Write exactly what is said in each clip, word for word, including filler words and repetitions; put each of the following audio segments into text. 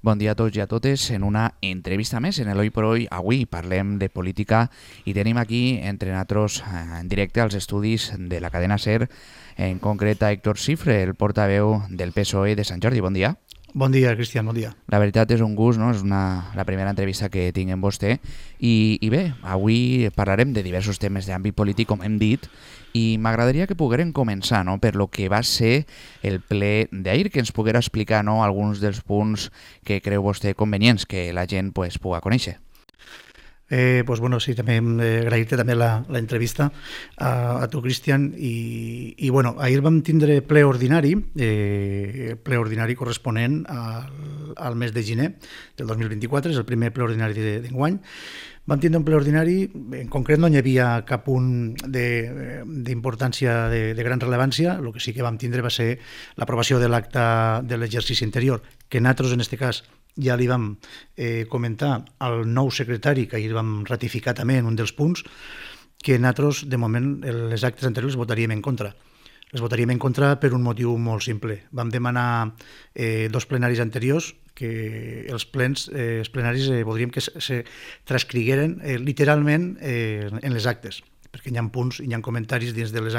Bon dia a tots i a totes en una entrevista més en l'Hoy por Hoy. Avui parlem de política i tenim aquí entre nosaltres en directe als estudis de la cadena SER, en concret a Héctor Cifre, el portaveu del P S O E de Sant Jordi. Bon dia. Bon dia, Cristian, bon dia. La veritat és un gust, no? És una, la primera entrevista que tinc amb vostè. I, I bé, avui parlarem de diversos temes d'àmbit polític, com hem dit, i m'agradaria que poguérem començar, no?, per lo que va ser el ple d'ahir, que ens poguera explicar, no?, alguns dels punts que creu vostè convenients que la gent pues, pugui conèixer. Eh, pues bueno, sí, també eh, agrair-te també la, la entrevista a, a tu, Cristian, i, i bueno, ahir vam tindre ple ordinari, eh, ple ordinari corresponent al, al mes de gener del dos mil vint-i-quatre, és el primer ple ordinari d'enguany. Vam tindre un ple ordinari, en concret no hi havia cap punt d'importància de, de, de gran rellevància, el que sí que vam tindre va ser l'aprovació de l'acte de l'exercici anterior, que nosaltres, en aquest cas, ja li vam eh, comentar al nou secretari, que ahir vam ratificar també en un dels punts, que nosaltres, de moment, les actes anteriors les votaríem en contra. Les votaríem en contra per un motiu molt simple. Vam demanar eh, dos plenaris anteriors que els plens, eh, els plenaris eh, voldríem que se, se transcrigueren eh, literalment eh, en les actes, perquè hi ha punts i hi ha comentaris dins, de les,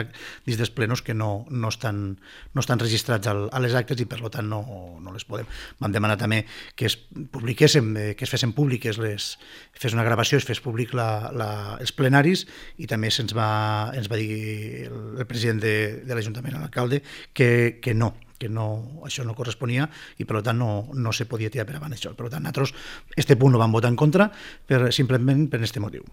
dins dels plenos que no, no, estan, no estan registrats al, a les actes i per tant no, no les podem. Vam demanar també que es publiquéssim, que es fessin públiques, les, fes una gravació, es fes públic la, la, els plenaris, i també se'ns va, ens va dir el, el president de, de l'Ajuntament, l'alcalde, que, que no, que no, això no corresponia i per tant no, no se podia tirar per avant això. Per tant, nosaltres este punt lo vam votar en contra per, simplement per aquest motiu.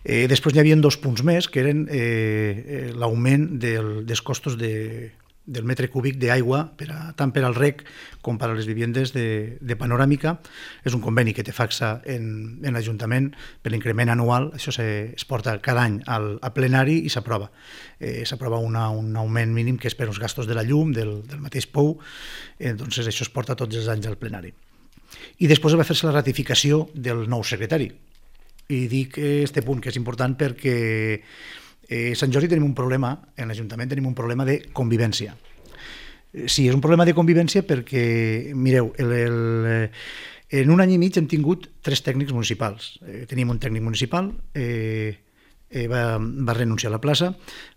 Eh, després hi havia dos punts més, que eren eh, l'augment del, dels costos de, del metre cúbic d'aigua per a, tant per al reg com per a les viviendes de, de panoràmica. És un conveni que té Facsa en, en l'Ajuntament per l'increment anual. Això se, es porta cada any al, a plenari i s'aprova. Eh, s'aprova un augment mínim que és per als gastos de la llum, del, del mateix pou. Eh, doncs això es porta tots els anys al plenari. I després va fer-se la ratificació del nou secretari. I dic este punt que és important perquè eh, a Sant Jordi tenim un problema, en l'Ajuntament tenim un problema de convivència. Sí, és un problema de convivència perquè, mireu, el, el, en un any i mig hem tingut tres tècnics municipals. Eh, tenim un tècnic municipal, eh, eh, va, va renunciar a la plaça,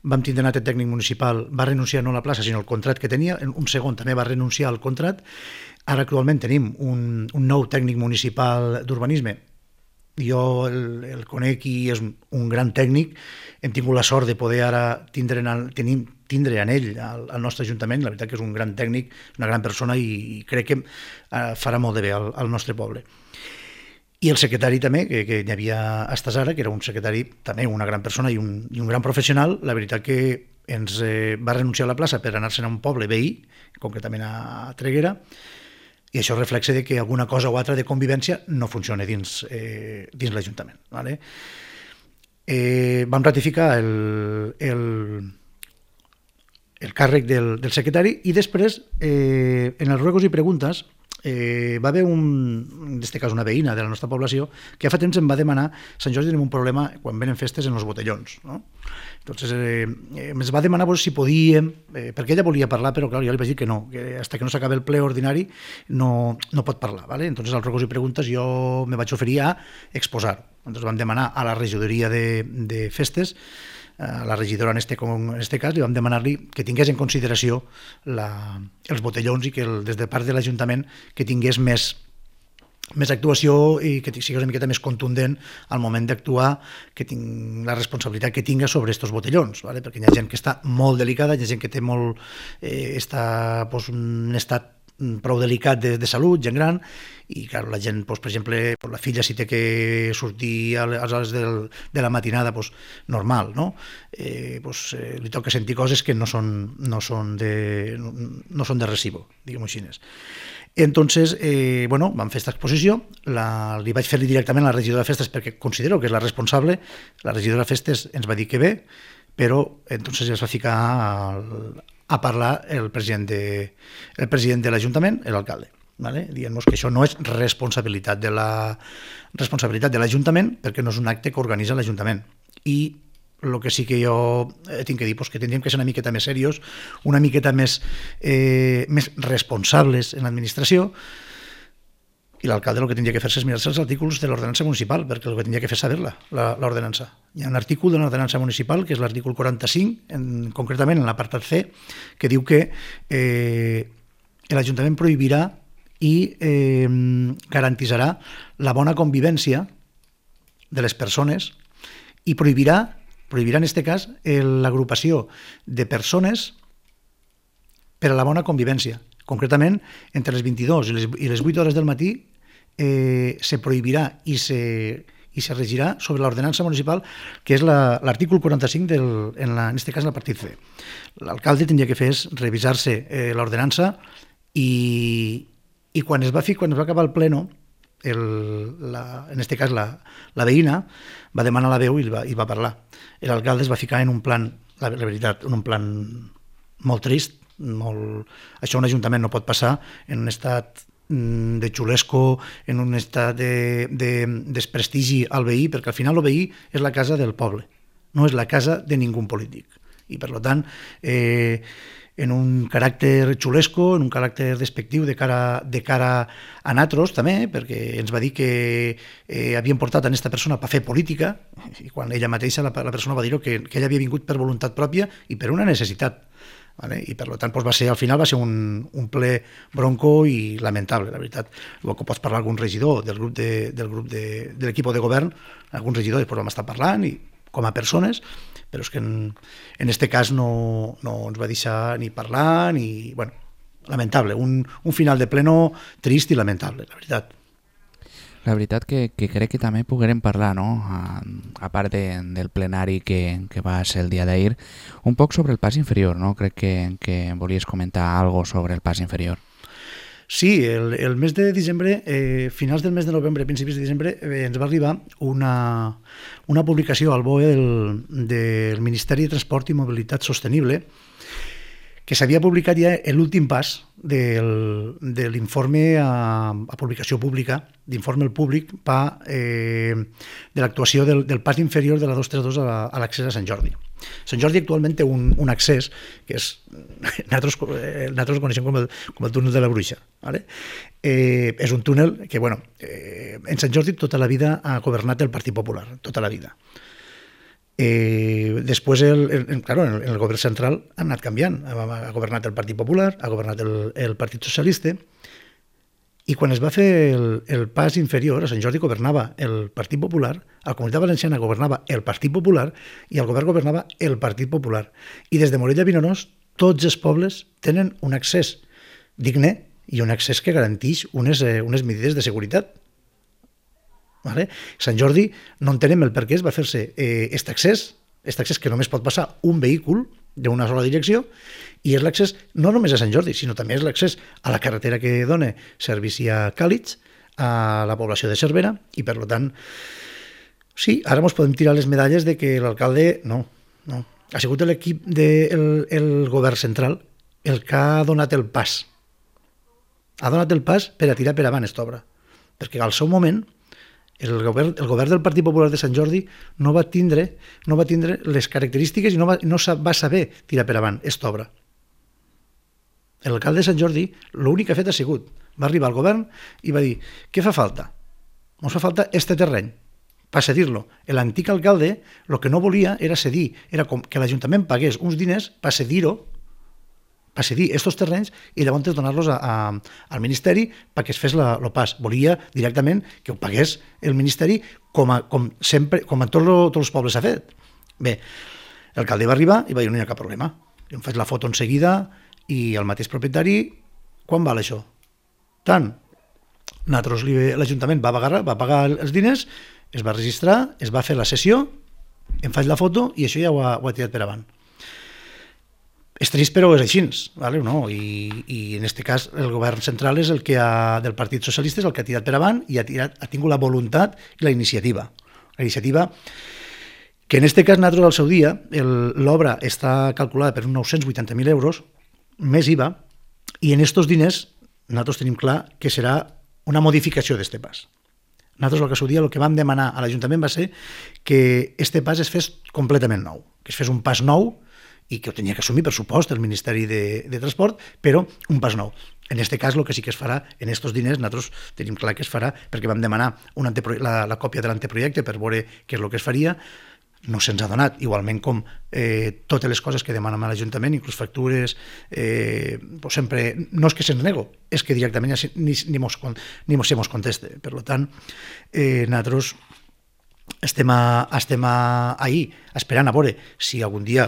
vam tindre un altre tècnic municipal, va renunciar no a la plaça sinó al contrat que tenia, un segon també va renunciar al contrat. Ara actualment tenim un, un nou tècnic municipal d'urbanisme. Jo el, el conec i és un gran tècnic. Hem tingut la sort de poder ara tindre en, tenim, tindre en ell al, al nostre Ajuntament. La veritat que és un gran tècnic, una gran persona i, i crec que uh, farà molt de bé al, al nostre poble. I el secretari també, que, que hi havia a Estasara, que era un secretari també una gran persona i un, i un gran professional. La veritat que ens eh, va renunciar a la plaça per anar-se'n a un poble veí, concretament a Treguera, i això reflexa de que alguna cosa o altra de convivència no funciona dins, eh, dins l'Ajuntament. Vale? Eh, vam ratificar el, el, el càrrec del, del secretari i després, eh, en els ruegos i preguntes, eh, va haver un, en aquest cas una veïna de la nostra població que fa temps em va demanar, a Sant Jordi tenim un problema quan venen festes en els botellons, no? Entonces eh, ens va demanar pues, si podíem, eh, perquè ella volia parlar, però clar, jo li vaig dir que no, que fins que no s'acabi el ple ordinari no, no pot parlar. ¿Vale? Entonces als ruegos i preguntes jo me vaig oferir a exposar. Entonces vam demanar a la regidoria de, de festes, a la regidora en este, en este cas, li vam demanar-li que tingués en consideració la, els botellons i que el, des de part de l'Ajuntament que tingués més, més actuació i que sigui una miqueta més contundent al moment d'actuar, que tinc la responsabilitat que tinga sobre aquests botellons, ¿vale? Perquè hi ha gent que està molt delicada, hi ha gent que té molt, eh, està pues, un estat prou delicat de, de salut, gent gran, i clar, la gent, doncs, per exemple, la filla si té que sortir a les hores del, de la matinada, doncs, normal, no? Eh, doncs, eh, li toca sentir coses que no són, no són, de, no, no són de recibo, diguem-ho així. Entonces, eh, bueno, vam fer aquesta exposició, la, li vaig fer-li directament a la regidora de festes perquè considero que és la responsable, la regidora de festes ens va dir que bé, però entonces es va ficar al, a parlar el president de, el president de l'Ajuntament, l'alcalde, ¿vale? Dient-nos que això no és responsabilitat de la responsabilitat de l'Ajuntament perquè no és un acte que organitza l'Ajuntament. I el que sí que jo tinc que dir és que tindríem que ser una miqueta més serios, una miqueta més, eh, més responsables en l'administració, i l'alcalde el que tindria que fer és mirar-se els artículos de l'ordenança municipal, perquè el que tindria que fer és saber-la, l'ordenança. Hi ha un artícul de l'ordenança municipal, que és l'artícul quaranta-cinc, en, concretament en l'apartat C, que diu que eh, l'Ajuntament prohibirà i eh, garantitzarà la bona convivència de les persones i prohibirà, prohibirà en aquest cas l'agrupació de persones per a la bona convivència. Concretament, entre les vint-i-dues i les, i les vuit hores del matí eh, se prohibirà i se, i se regirà sobre l'ordenança municipal, que és l'artícul la, quaranta-cinc, del, en, la, en aquest cas, en el partit C. L'alcalde tindria que fer és revisar-se eh, l'ordenança i, i quan es va fer, quan es va acabar el pleno, el, la, en aquest cas la, la veïna va demanar la veu i va, i va parlar. L'alcalde es va ficar en un plan, la, la veritat, en un plan molt trist, molt... Això un ajuntament no pot passar en un estat de xulesco, en un estat de, de desprestigi al veí, perquè al final el veí és la casa del poble, no és la casa de ningú polític. I per tant, eh, en un caràcter xulesco, en un caràcter despectiu de cara, de cara a nosaltres també, perquè ens va dir que eh, havien portat a aquesta persona per fer política, i quan ella mateixa, la, la persona va dir que, que ella havia vingut per voluntat pròpia i per una necessitat. Vale? I per tant doncs va ser, al final va ser un, un ple bronco i lamentable, la veritat. El que pots parlar algun regidor del grup de, del grup de, de l'equip de govern, algun regidor després vam estar parlant i, com a persones, però és que en, en este cas no, no ens va deixar ni parlar ni... Bueno, lamentable, un, un final de pleno trist i lamentable, la veritat. La veritat que, que crec que també poguérem parlar, no? a, a part de, del plenari que, que va ser el dia d'ahir, un poc sobre el pas inferior, no? Crec que, que volies comentar algo sobre el pas inferior. Sí, el, el mes de desembre, eh, finals del mes de novembre, principis de desembre, eh, ens va arribar una, una publicació al B O E del, del Ministeri de Transport i Mobilitat Sostenible, que s'havia publicat ja l'últim pas del, de l'informe a, a publicació pública, d'informe al públic pa, eh, de l'actuació del, del pas inferior de la dos trenta dos a, a l'accés a Sant Jordi. Sant Jordi actualment té un, un accés que és, nosaltres, eh, nosaltres el coneixem com el, com el túnel de la Bruixa. ¿Vale? Eh, és un túnel que, bueno, eh, en Sant Jordi tota la vida ha governat el Partit Popular, tota la vida. Eh, després el, el, claro, el, el govern central ha anat canviant, ha, ha governat el Partit Popular, ha governat el, el Partit Socialista, i quan es va fer el, el pas inferior, a Sant Jordi governava el Partit Popular, a la Comunitat Valenciana governava el Partit Popular i al govern governava el Partit Popular, i des de Morella a Vinaròs tots els pobles tenen un accés digne i un accés que garanteix unes, eh, unes medides de seguretat. Vale? Sant Jordi no entenem el per què es va fer-se aquest eh, accés, aquest accés que només pot passar un vehícul d'una sola direcció, i és l'accés no només a Sant Jordi, sinó també és l'accés a la carretera que dona servici a Càlix, a la població de Cervera, i per tant, sí, ara ens podem tirar les medalles de que l'alcalde, no, no, ha sigut l'equip del el govern central el que ha donat el pas, ha donat el pas per a tirar per avant aquesta obra, perquè al seu moment El govern, el govern del Partit Popular de Sant Jordi no va tindre, no va tindre les característiques i no va, no va saber tirar per avant aquesta obra. L'alcalde de Sant Jordi l'únic que ha fet ha sigut, va arribar al govern i va dir, què fa falta? Ens fa falta este terreny, per cedir-lo. L'antic alcalde el que no volia era cedir, era com que l'Ajuntament pagués uns diners per cedir-ho, per cedir aquests terrenys i llavors donar-los a, a, al Ministeri perquè es fes la, el pas. Volia directament que ho pagués el Ministeri com, a, com, sempre, com a tots tot els pobles s'ha fet. Bé, l'alcalde va arribar i va dir no hi ha cap problema. Jo em faig la foto en seguida i el mateix propietari, quan val això? Tant. L'Ajuntament va pagar, va pagar els diners, es va registrar, es va fer la sessió, em faig la foto i això ja ho ha, ho ha tirat per avant. És trist, però és així, ¿vale? No? I, i en aquest cas el govern central és el que ha, del Partit Socialista és el que ha tirat per avant i ha, tirat, ha tingut la voluntat i la iniciativa. La iniciativa que en aquest cas nosaltres al seu dia l'obra està calculada per uns nou-cents vuitanta mil euros més I V A i en aquests diners nosaltres tenim clar que serà una modificació d'aquest pas. Nosaltres el que al seu dia el que vam demanar a l'Ajuntament va ser que aquest pas es fes completament nou, que es fes un pas nou i que ho tenia que assumir, per supost, el Ministeri de, de Transport, però un pas nou. En aquest cas, el que sí que es farà, en aquests diners, nosaltres tenim clar que es farà, perquè vam demanar un antepro... la, la còpia de l'anteprojecte per veure què és el que es faria, no se'ns ha donat, igualment com eh, totes les coses que demanem a l'Ajuntament, inclús factures, eh, pues sempre, no és que se'ns nego, és que directament ja ni, ni, mos, ni mos se mos conteste. Per tant, eh, nosaltres estem, a, estem a, ahí esperant a veure si algun dia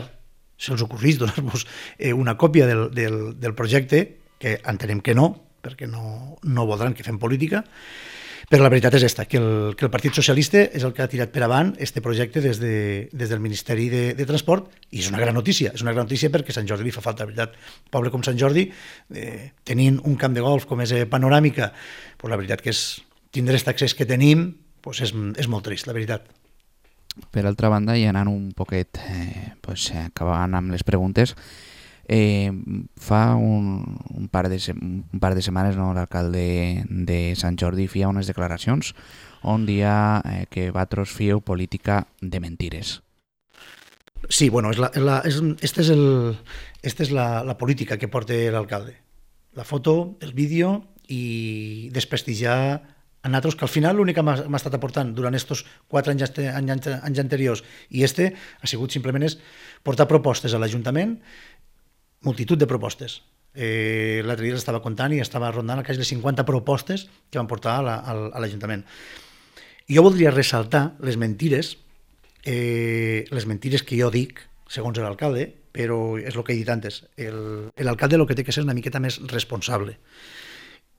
se'ls ocorrís donar-vos eh, una còpia del, del, del projecte, que entenem que no, perquè no, no voldran que fem política, però la veritat és esta, que el, que el Partit Socialista és el que ha tirat per avant este projecte des, de, des del Ministeri de, de Transport, i és una gran notícia, és una gran notícia perquè Sant Jordi li fa falta, la veritat. Poble com Sant Jordi, eh, tenint un camp de golf com és Panoràmica, pues la veritat que és tindre aquest accés que tenim, pues és, és molt trist, la veritat. Per altra banda, i anant un poquet, eh, pues, acabant amb les preguntes, Eh, fa un, un, par de, un par de setmanes no, l'alcalde de Sant Jordi feia unes declaracions on dia eh, que vosaltres feu política de mentires. Sí, bueno, és la, és la, és, este és, el, este és la, la política que porta l'alcalde. La foto, el vídeo i desprestigiar a nosaltres, que al final l'únic que m'ha estat aportant durant aquests quatre anys, anys, anys anteriors i este ha sigut simplement és portar propostes a l'Ajuntament, multitud de propostes. Eh, L'altre dia l'estava comptant i estava rondant al cas de cinquanta propostes que van portar a, la, a l'Ajuntament. I jo voldria ressaltar les mentires, eh, les mentires que jo dic, segons l'alcalde, però és el que he dit antes. El, l'alcalde el que té que ser una miqueta més responsable.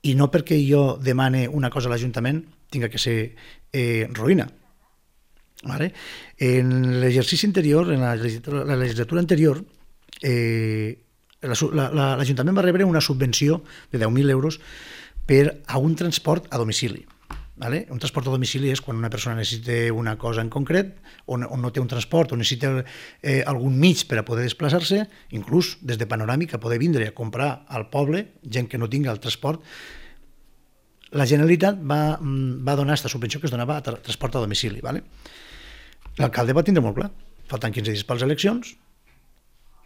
I no perquè jo demane una cosa a l'Ajuntament tinga que ser eh, ruïna. Vale? En l'exercici anterior, en la legislatura, la legislatura anterior, eh, l'Ajuntament va rebre una subvenció de deu mil euros per a un transport a domicili. Vale? Un transport a domicili és quan una persona necessita una cosa en concret, o no, no té un transport, o necessita eh, algun mig per a poder desplaçar-se, inclús des de Panoràmica poder vindre a comprar al poble, gent que no tinga el transport. La Generalitat va, va donar aquesta subvenció que es donava a tra transport a domicili. Vale? L'alcalde va tindre molt clar. Faltant quinze dies per les eleccions,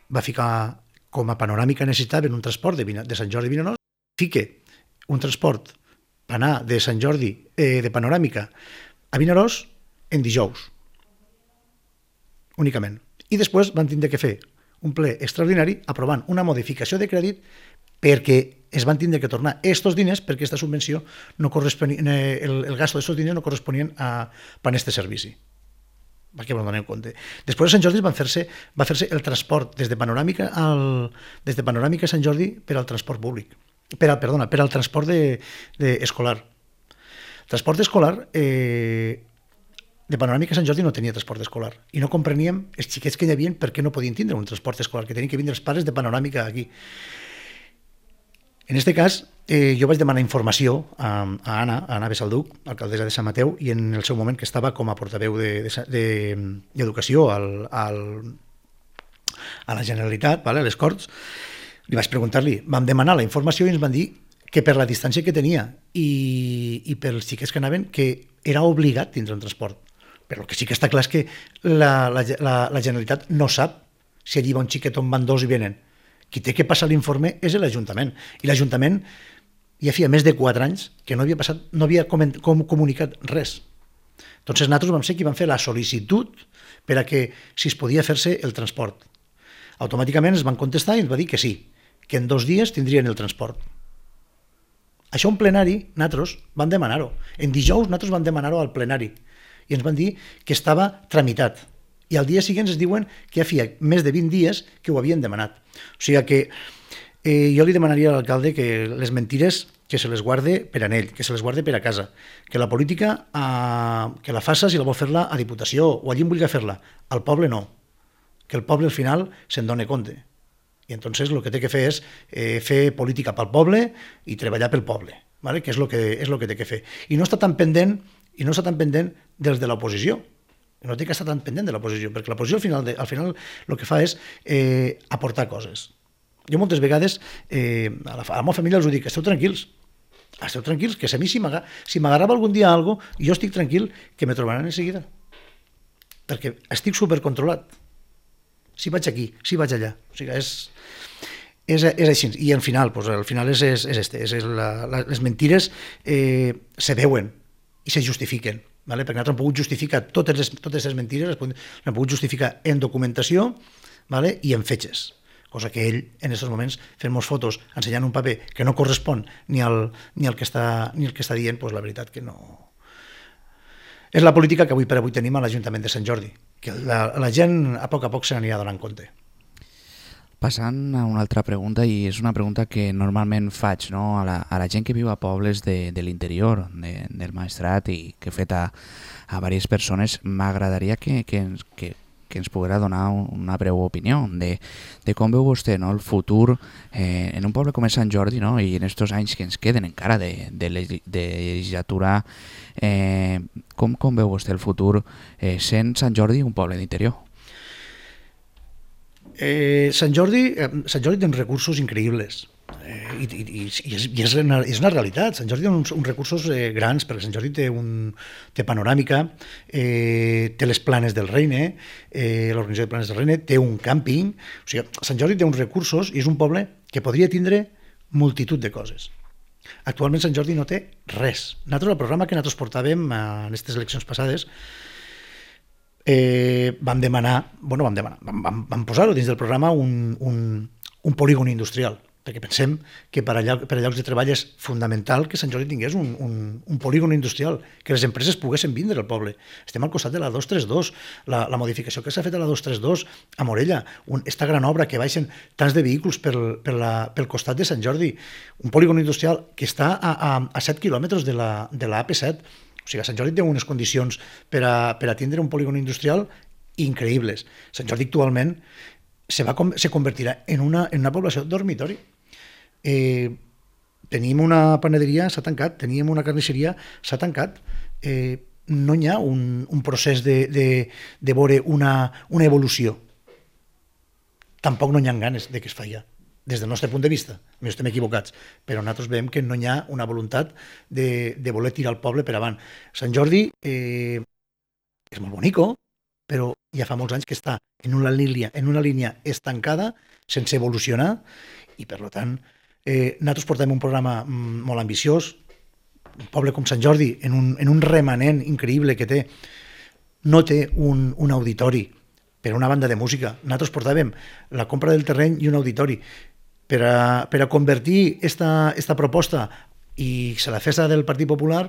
va ficar com a Panoràmica necessitaven un transport de, de Sant Jordi a Vinaròs, fique un transport per anar de Sant Jordi, eh, de Panoràmica a Vinaròs en dijous, únicament. I després van tindre que fer un ple extraordinari aprovant una modificació de crèdit perquè es van tindre que tornar aquests diners perquè aquesta subvenció no corresponia, el, el gasto d'aquests diners no corresponien a, a aquest servici. Perquè me'n donem compte. Després a Sant Jordi van fer-se va fer-se el transport des de Panoràmica al, des de Panoràmica a Sant Jordi per al transport públic. Per al, perdona, per al transport de, de escolar. El transport escolar eh, de Panoràmica a Sant Jordi no tenia transport escolar i no compreníem els xiquets que hi havia per què no podien tindre un transport escolar, que tenien que vindre els pares de Panoràmica aquí. En aquest cas, eh, jo vaig demanar informació a, a Anna, a Anna Besalduc, alcaldessa de Sant Mateu, i en el seu moment que estava com a portaveu d'Educació de, de, al, al, a la Generalitat, vale, a les Corts, li vaig preguntar-li, vam demanar la informació i ens van dir que per la distància que tenia i, i pels xiquets que anaven, que era obligat tindre un transport. Però el que sí que està clar és que la, la, la, la Generalitat no sap si allí va un xiquet on van dos i venen. Qui té que passar l'informe és l'Ajuntament. I l'Ajuntament ja feia més de quatre anys que no havia, passat, no havia com, com comunicat res. Entonces nosaltres vam ser qui vam fer la sol·licitud per a que si es podia fer-se el transport. Automàticament ens van contestar i ens va dir que sí, que en dos dies tindrien el transport. Això en plenari nosaltres vam demanar-ho. En dijous nosaltres vam demanar-ho al plenari i ens van dir que estava tramitat. I al dia següent es diuen que ja feia més de vint dies que ho havien demanat. O sigui que eh, jo li demanaria a l'alcalde que les mentires que se les guarde per a ell, que se les guarde per a casa, que la política eh, que la faça si la vol fer-la a Diputació o allí en vulgui fer-la, al poble no, que el poble al final se'n doni compte. I entonces el que té que fer és eh, fer política pel poble i treballar pel poble, ¿vale? Que és el que, és el que té que fer. I no està tan pendent, i no està tan pendent dels de l'oposició. No té que estar tan pendent de l'oposició, perquè l'oposició al final, de, al final el que fa és eh, aportar coses. Jo moltes vegades eh, a, la, a la meva família els ho dic, esteu tranquils, esteu tranquils, que si a mi si m'agarrava algun dia alguna cosa, jo estic tranquil que me trobaran en seguida, perquè estic supercontrolat. Si vaig aquí, si vaig allà. O sigui, és... és, és així. I al final, pues, al final és, és, és este. És la, la, les mentires eh, se veuen i se justifiquen. Vale? Perquè nosaltres hem pogut justificar totes les, totes les mentires, les hem pogut justificar en documentació, vale? I en fetges. Cosa que ell, en aquests moments, fent moltes fotos, ensenyant un paper que no correspon ni al, ni al, que, està, ni al que està dient, pues, la veritat que no... És la política que avui per avui tenim a l'Ajuntament de Sant Jordi, que la, la gent a poc a poc se n'anirà donant compte. Passant a una altra pregunta, i és una pregunta que normalment faig, no? a, la, a la gent que viu a pobles de, de l'interior, de, del Maestrat, i que he fet a, a diverses persones, m'agradaria que, que, que, que ens poguera donar una breu opinió de, de com veu vostè, no? El futur eh, en un poble com és Sant Jordi, no? I en aquests anys que ens queden encara de, de, de legislatura, eh, com, com veu vostè el futur eh, sent Sant Jordi un poble d'interior? Eh, Sant Jordi, eh, Sant Jordi té uns recursos increïbles eh, i, i, i, és, i és, una, és una realitat. Sant Jordi té uns, uns recursos eh, grans, perquè Sant Jordi té, un, té panoràmica, eh, té les planes del Reine, eh, l'organització de planes del Reine, té un càmping, o sigui, Sant Jordi té uns recursos i és un poble que podria tindre multitud de coses. Actualment Sant Jordi no té res. Nosaltres, el programa que nosaltres portàvem en aquestes eleccions passades, Eh, vam demanar, bueno, vam demanar, vam, vam, vam posar-ho dins del programa un, un, un polígon industrial, perquè pensem que per a, lloc, per a llocs de treball és fonamental que Sant Jordi tingués un, un, un polígon industrial, que les empreses poguessin vindre al poble. Estem al costat de la dos trenta dos, la, la modificació que s'ha fet a la dos trenta dos a Morella, un, esta gran obra que baixen tants de vehicles pel, pel, la, pel costat de Sant Jordi, un polígon industrial que està a, a, a set quilòmetres de la, de la A P set. O sigui, Sant Jordi té unes condicions per a, per a tindre un polígon industrial increïbles. Sant Jordi actualment se, va, se convertirà en una, en una població dormitori. Eh, tenim una panaderia, s'ha tancat, teníem una carnisseria, s'ha tancat. Eh, no hi ha un, un procés de, de, de veure una, una evolució. Tampoc no hi ha ganes de que es faci. Des del nostre punt de vista, no estem equivocats, però nosaltres veiem que no hi ha una voluntat de, de voler tirar el poble per avant. Sant Jordi eh, és molt bonico, però ja fa molts anys que està en una línia, en una línia estancada, sense evolucionar, i per tant eh, nosaltres portem un programa molt ambiciós. Un poble com Sant Jordi, en un, en un remanent increïble que té, no té un, un auditori per una banda de música. Nosaltres portàvem la compra del terreny i un auditori. Per a, per a convertir esta, esta proposta i se la festa del Partit Popular,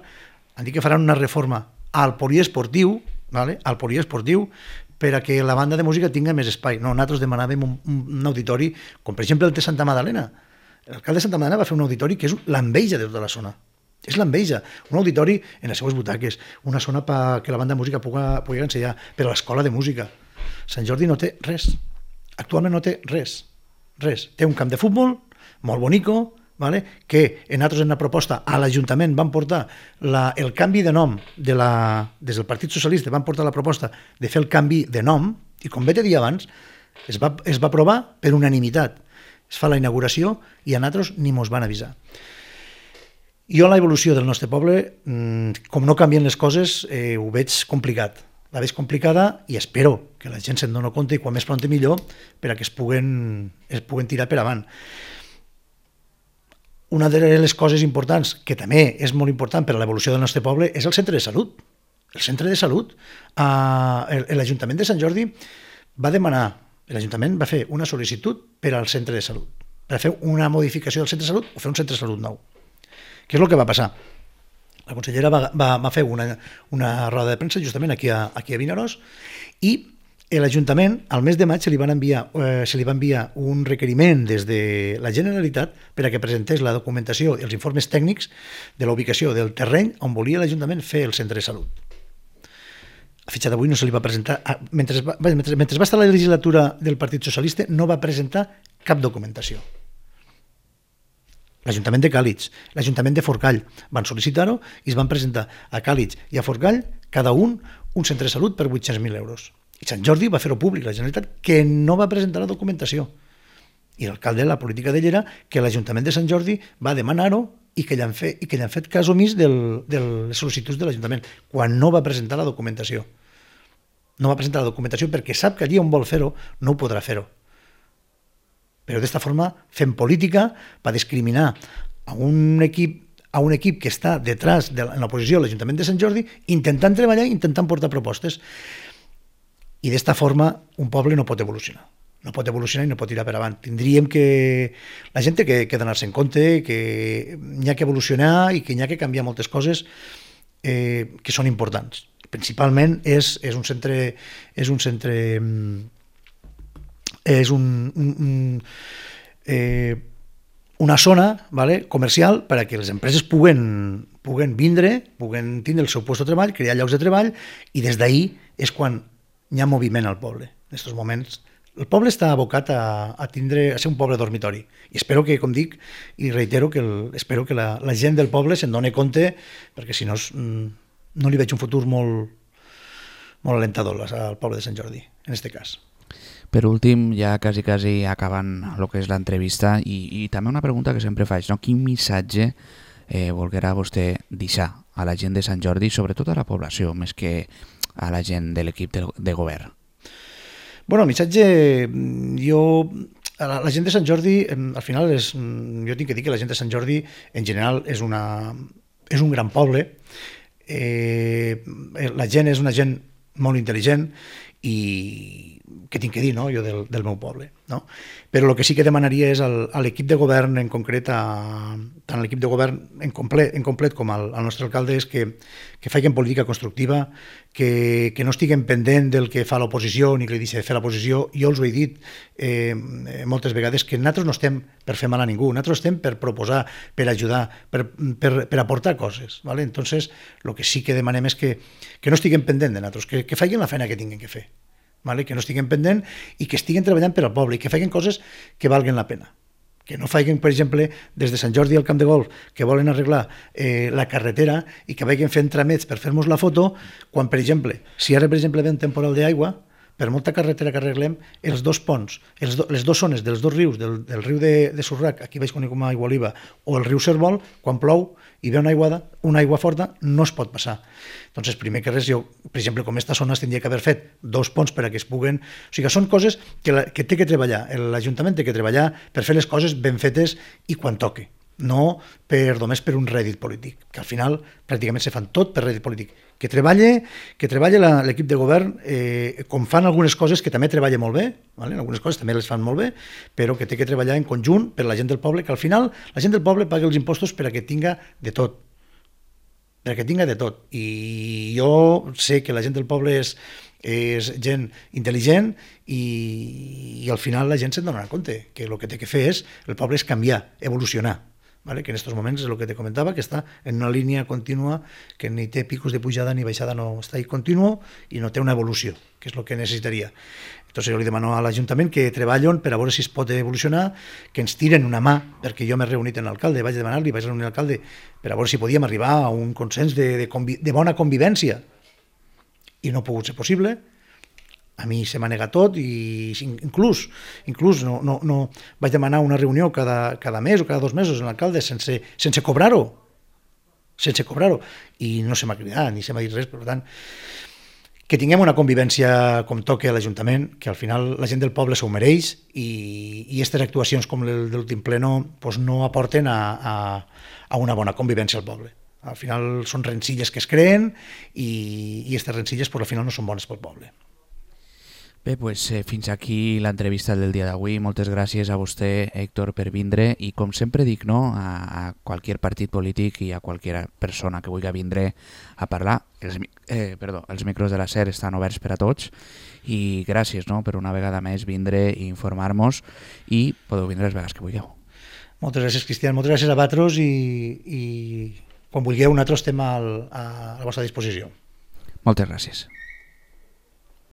han dit que faran una reforma al poliesportiu, ¿vale? al poliesportiu, per a que la banda de música tinga més espai. No, nosaltres demanàvem un, un auditori, com per exemple el de Santa Magdalena. L'alcalde de Santa Magdalena va fer un auditori que és l'enveja de tota la zona. És l'enveja. Un auditori en les seues butaques, una zona perquè la banda de música pugui, pugui ensenyar, per a l'escola de música. Sant Jordi no té res. Actualment no té res. Res. Té un camp de futbol molt bonico, vale? Que en altres en una proposta a l'Ajuntament van portar la, el canvi de nom de la, des del Partit Socialista van portar la proposta de fer el canvi de nom i com bé t'he dit abans es va, es va aprovar per unanimitat. Es fa la inauguració i a nosaltres ni mos van avisar. Jo la evolució del nostre poble, com no canvien les coses, eh, ho veig complicat. La veig complicada i espero que la gent se'n doni compte i quan més pront millor per a que es puguen, es puguen tirar per avant. Una de les coses importants, que també és molt important per a l'evolució del nostre poble, és el centre de salut. El centre de salut, eh, l'Ajuntament de Sant Jordi va demanar, l'Ajuntament va fer una sol·licitud per al centre de salut, per a fer una modificació del centre de salut o fer un centre de salut nou. Què és el que va passar? La consellera va, va, va fer una, una roda de premsa justament aquí a, aquí a Vinaròs i l'Ajuntament al mes de maig se li, van enviar, eh, se li va enviar un requeriment des de la Generalitat per a que presentés la documentació i els informes tècnics de la ubicació del terreny on volia l'Ajuntament fer el centre de salut. A fitxa d'avui no se li va presentar, mentre va, mentre, mentre va estar la legislatura del Partit Socialista no va presentar cap documentació. L'Ajuntament de Càlig, l'Ajuntament de Forcall van sol·licitar-ho i es van presentar a Càlig i a Forcall cada un un centre de salut per vuit-cents mil euros. I Sant Jordi va fer-ho públic, la Generalitat, que no va presentar la documentació. I l'alcalde, la política d'ell era que l'Ajuntament de Sant Jordi va demanar-ho i que li han fet, i que li han fet cas omís del, de les sol·licituds de l'Ajuntament, quan no va presentar la documentació. No va presentar la documentació perquè sap que allí on vol fer-ho no ho podrà fer-ho. però d'esta forma fem política per discriminar a un equip a un equip que està detrás de la, en l'oposició a l'Ajuntament de Sant Jordi, intentant treballar, intentant portar propostes. I d'esta forma un poble no pot evolucionar. No pot evolucionar i no pot tirar per avant. Tindríem que... La gent té que, que donar-se en compte que n'hi ha que evolucionar i que n'hi ha que canviar moltes coses eh, que són importants. Principalment és, és un centre... És un centre... És un... un, un eh, una zona, vale, comercial per a que les empreses puguen, puguen vindre, puguen tindre el seu lloc de treball, crear llocs de treball, i des d'ahir és quan hi ha moviment al poble. En aquests moments el poble està abocat a, a, tindre, a ser un poble dormitori. I espero que, com dic, i reitero, que el, espero que la, la gent del poble se'n doni compte, perquè si no no li veig un futur molt, molt alentador al poble de Sant Jordi, en aquest cas. Per últim, ja quasi, quasi acabant el que és l'entrevista, i, i també una pregunta que sempre faig, no? Quin missatge eh, volguerà vostè deixar a la gent de Sant Jordi, sobretot a la població, més que a la gent de l'equip de, de govern? Bueno, el missatge, jo... La, la gent de Sant Jordi, al final, és, jo tinc que dir que la gent de Sant Jordi, en general, és, una, és un gran poble. Eh, la gent és una gent molt intel·ligent i què tinc que dir, no? Jo del, del meu poble, no? Però el que sí que demanaria és al, a l'equip de govern en concret, a, tant a l'equip de govern en complet, en complet com al, al nostre alcalde, és que, que facin política constructiva, que, que no estiguen pendent del que fa l'oposició ni que li deixa de fer l'oposició. Jo els ho he dit eh, moltes vegades, que nosaltres no estem per fer mal a ningú, nosaltres estem per proposar, per ajudar, per, per, per aportar coses, ¿vale? Entonces, el que sí que demanem és que, que no estiguen pendent de nosaltres, que, que facin la feina que tinguin que fer. Vale? Que no estiguen pendent i que estiguen treballant per al poble i que facin coses que valguen la pena. Que no facin, per exemple, des de Sant Jordi al camp de golf, que volen arreglar eh, la carretera i que vagin fent tramets per fer-nos la foto, quan, per exemple, si ara, per exemple, ve un temporal d'aigua, per molta carretera que arreglem, els dos ponts, els do, les dues zones dels dos rius, del, del riu de, de Surrac, aquí vaig conèixer com a Aigua Oliva, o el riu Cervol, quan plou i ve una aiguada, una aigua forta, no es pot passar. Doncs, primer que res, jo, per exemple, com aquesta zona es tindria que haver fet dos ponts per a que es puguen... O sigui, són coses que, la, que té que treballar, l'Ajuntament té que treballar per fer les coses ben fetes i quan toque, no per, només per un rèdit polític, que al final pràcticament se fan tot per rèdit polític. Que treballe, que treballe l'equip de govern, eh, com fan algunes coses que també treballa molt bé, ¿vale? Algunes coses també les fan molt bé, però que té que treballar en conjunt per la gent del poble, que al final la gent del poble paga els impostos per a que tinga de tot, per a que tinga de tot. I jo sé que la gent del poble és, és gent intel·ligent i, i al final la gent se'n donarà compte que el que té que fer és, el poble és canviar, evolucionar. Vale? Que en aquests moments és el que te comentava, que està en una línia contínua, que ni té picos de pujada ni baixada, no està ahí continuo i no té una evolució, que és el que necessitaria. Entonces jo li demano a l'Ajuntament que treballin per a veure si es pot evolucionar, que ens tiren una mà, perquè jo m'he reunit amb l'alcalde, vaig demanar-li, vaig reunir l'alcalde per a veure si podíem arribar a un consens de, de, convi de bona convivència, i no ha pogut ser possible. A mi se m'ha negat tot i inclús, inclús no, no, no vaig demanar una reunió cada, cada mes o cada dos mesos amb l'alcalde sense, sense cobrar-ho, sense cobrar-ho, i no se m'ha cridat ni se m'ha dit res. Per tant, que tinguem una convivència com toque a l'Ajuntament, que al final la gent del poble s'ho mereix i, i aquestes actuacions com el de l'últim pleno pues no aporten a, a, a una bona convivència al poble. Al final són rencilles que es creen i aquestes rencilles pues, al final no són bones pel poble. Bé, pues, eh, fins aquí l'entrevista del dia d'avui. Moltes gràcies a vostè, Héctor, per vindre i, com sempre dic, no, a, a qualsevol partit polític i a qualsevol persona que vulgui vindre a parlar, els, eh, perdó, els micros de la SER estan oberts per a tots i gràcies, no, per una vegada més vindre i informar-nos i podeu vindre les vegades que vulgueu. Moltes gràcies, Cristian, moltes gràcies a vosaltres i, i quan vulgueu nosaltres estem al, a la vostra disposició. Moltes gràcies.